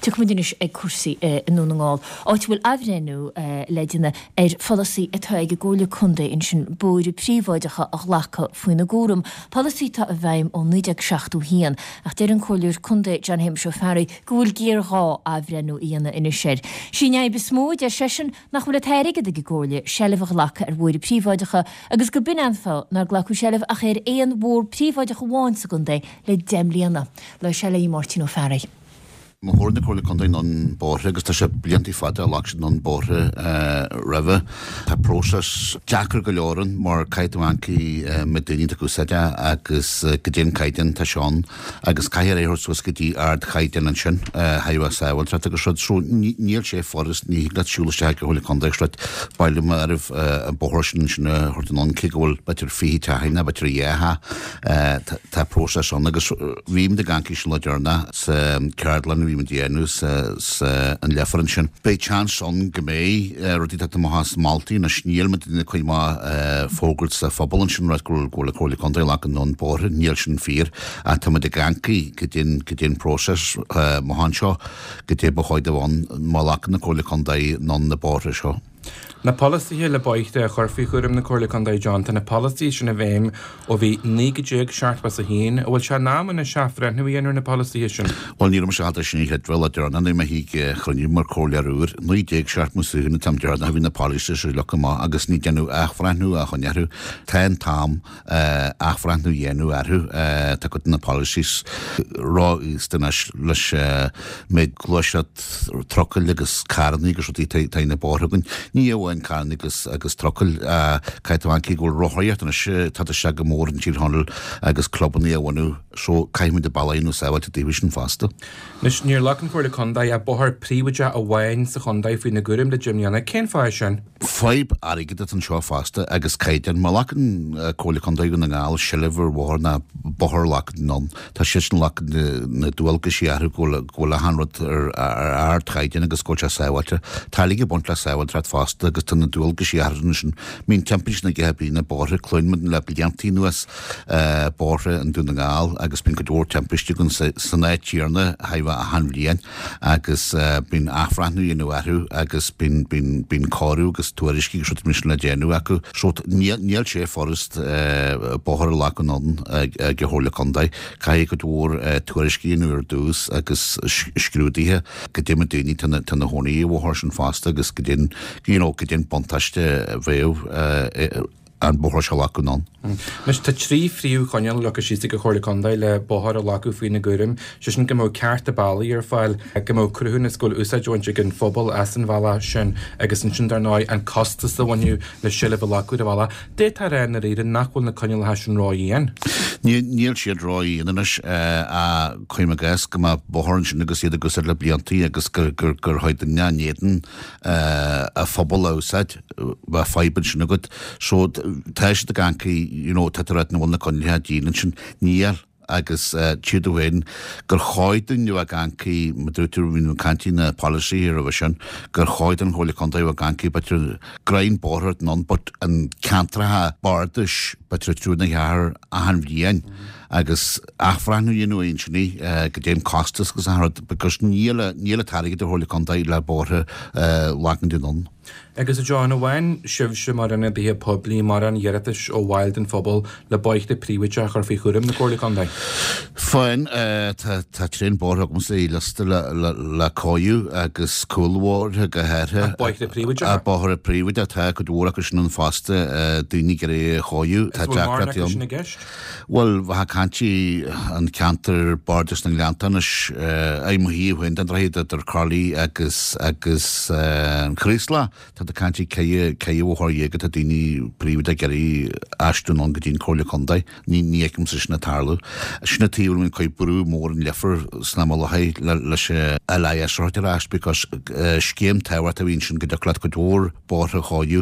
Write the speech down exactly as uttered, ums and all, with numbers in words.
Tiocfaimid anois ag cúrsaí i nDún na nGall, áit a bhfuil athbhreithniú le déanamh ar pholasaí atá ag an gComhairle Contae ansin bóithre príobháideacha a ghlacadh faoina gcúram, polasaí atá i bhfeidhm ó naoi déag seachtó a haon, ach deir an Comhairleoir Contae John Shéamuis Ó Fearraigh go bhfuil géarghá athbhreithniú a dhéanamh anois air. Sí an fhadhb is mó, a deir seisean, nach bhfuil an t-airgead ag an gComhairle seilbh a ghlacadh ar bhóithre príobháideacha agus go b'in an fáth nár glacadh seilbh ach ar aon bhóthar príobháideach amháin sa gcontae le deich mbliana. Labhair sé le Máirtín Ó Fearraigh. Má thabharann na Comhairle Contae anonn bóithre, agus tá sé bliantaí fada a ghlac siad anonn bóithre roimhe, tá próiseas deacair go leor ann mar caithfidh tú amharc na daoine atá ag úsáid é agus goidé an caighdeán atá sé ann agus caithfidh é a thabhairt suas go dtí ardchaighdeán ansin thaobh a sábháilteacht agus rud. So níl sé furast, ní thig leat siúl isteach ag an Chomhairle Contae agus rud, baile mar an bóthar sin ansin a thabhairt anonn cé go bhfuil b'fhéidir fiche teach ann, b'fhéidir dhá theach, tá próiseas ann agus bhí muid ag amharc sin lá deireanach sa ceardlann a bhí muid a dhéanamh sa sa an Leifear ansin. Beidh chance ann go mbeidh rudaí ag teacht amach as moltaí anois níl muid ag cuid maith fógairt sa phobal ansin rud go bhfuil go bhfuil an Comhairle Contae ag glacadh anonn bóithre, níl sin fíor ach tá muid ag amharc goidé goidé an próiseas amach anseo goidé ba chóir do bheith ann má ghlacann na Comhairle Contae anonn na bóithre seo. Na polasaithe le bóithre a chur faoi chúram na Comhairle Contae John, tá na polasaithe sin i bhfeidhm ó bhí naoi déag seachtó is a haon. An bhfuil sé in am anois athbhreithniú a dhéanamh ar na polasaithe sin? Bhuel, ní raibh mise ábalta sin a chreidbheáil lá deireanach nuair a bhí mé ag cruinniú mar chomhairleoir úr. naoi déag seachtó is a haon an t-am deireanach a bhí na polasaithe seo leagtha amach agus ní déanadh athbhreithniú a choinne orthu. Tá an t-am athbhreithniú a dhéanamh orthu. Tá cuid de na policies ró-aosta anois leis méid gluaiseacht trucail agus carrannaí agus rudaí atá ar na bóithre againn. Ní amháin carrannaí agus agus trucail, caithfidh tú amharc go bhfuil rothaíocht anois tagtha isteach go mór in Tír Chonaill agus clubannaí a bhunú so caithfidh muid an bealach a dhéanamh sábháilte daofa sin fosta. Anois, níor ghlac an Chomhairle Contae ach bóthar príobháideach amháin sa chontae faoina gcúram le deich mbliana. Cén fáth é sin? Fadhb airgid atá anseo fosta agus caighdeán. Má ghlacann Comhairle Contae Dhún na nGall seilbh ar bhóthar ná bóthar a ghlacadh anonn, tá siadsan ag glacadh na dualgaisí orthu go bhfuil go bhfuil achan rud ar ar ardchaighdeán agus go bhfuil sé sábháilte. Tá uilig ag baint le sábháilteacht fosta agus tá na dualgaisí orthu ansin. Bíonn timpistí na gceithre bliana bóithre cluin le bliantaí anuas bóithre in Dún na nGall agus bíonn cuid mhór timpistí againn san áit chéanna thart achan bhliain agus bíonn athbhreithniú a dhéanamh orthu agus bíonn bíonn bíonn cóiriú agus tuairiscí agus rudaí mar sin le déanamh acu. So níl níl sé furast bóthar a ghlacadh anonn ag ag an Chomhairle Contae. Caithfidh cuid mhór tuairiscí a dhéanamh ar dtús agus scrúduithe goidé na daoine atá atá ina gcónaí ar an bhóthar sin fosta agus goidé you know goidé an buntáiste a bheadh an bóthar seo a ghlacadh anonn. Anois tá trí phríomhchoinníoll leagtha síos ag an Chomhairle Contae le bóthar a ghlacadh faoina gcúram, sé sin go mbeadh cearta bealaigh ar fáil, go mbeadh cruthúnas go bhfuil úsáid á bhaint ag an phobal as an bhealach sin agus ansin dar ndóigh an costas a bhainfeadh le seilbh a ghlacadh ar an bhealach. D'fhéadfá a rá i ndáiríre nach bhfuil na coinníollacha sin ródhian. Níl siad ródhian anois ach cuirim i gcás go mbeadh bóthar ansin agus iad ag úsáid le bliantaí agus gur gur gur chuir duine in éadan a phobal a úsáid, bheadh fadhb ansin agat. So tá siad ag amharc, you know, tá tú ag ráit nach bhfuil na coinníollacha dian ansin. Níl agus tchí tú féin gur chóir dúinn a bheith ag amharc, mar dúirt tú, bhí na caintí na polasaithe roimhe sin, gur chóir don Chomhairle Contae a bheith ag amharc, b'fhéidir greim bóthair anonn but an ceantracha bardais b'fhéidir triúr nó ceathrar achan bhliain agus athbhreithniú a dhéanamh ansin goidé an costas agus achan rud because níl níl an t-airgead ag Comhairle Contae le bóithre a ghlacadh anonn. Agus a John, an bhfaigheann sibhse mar ionadaithe poiblí mórán iarratais ó bhaill den phobal le bóithre príobháideacha a chur faoi chúram na Comhairle Contae? Faigheann. Tá tá tréan bóithre agamsa i liosta le le le cóiriú agus cúlbhóithre go háirithe. Ach bóithre príobháideacha? Bóithre príobháideacha, tá cuid mhór acu sin ann fosta, daoine ag iarraidh a chóiriú. Tá Is bhfuil mórán deacrachtaí acu sin ann. i gceist? Bhuel, bheadh caint an ceantar Bardais na nGleannta anois, i mo thaobh féin den droichead idir Corlaigh agus agus an Chraoslach. Tá tú ag caint ceithre ceithre bhóthar dhéag atá daoine príobháideach ag iarraidh aistriú anonn go dtí an Comhairle Contae. Ní ní fheicimse sin ag tarlú. Sin an taobh a bhfuil cuid brú mór an Leifear san am i láthair le leis an LIS a thabhairt ar ais because scéim tábhachtach a bhí ansin go dtiocfadh leat cuid mhór bóithre a chóiriú.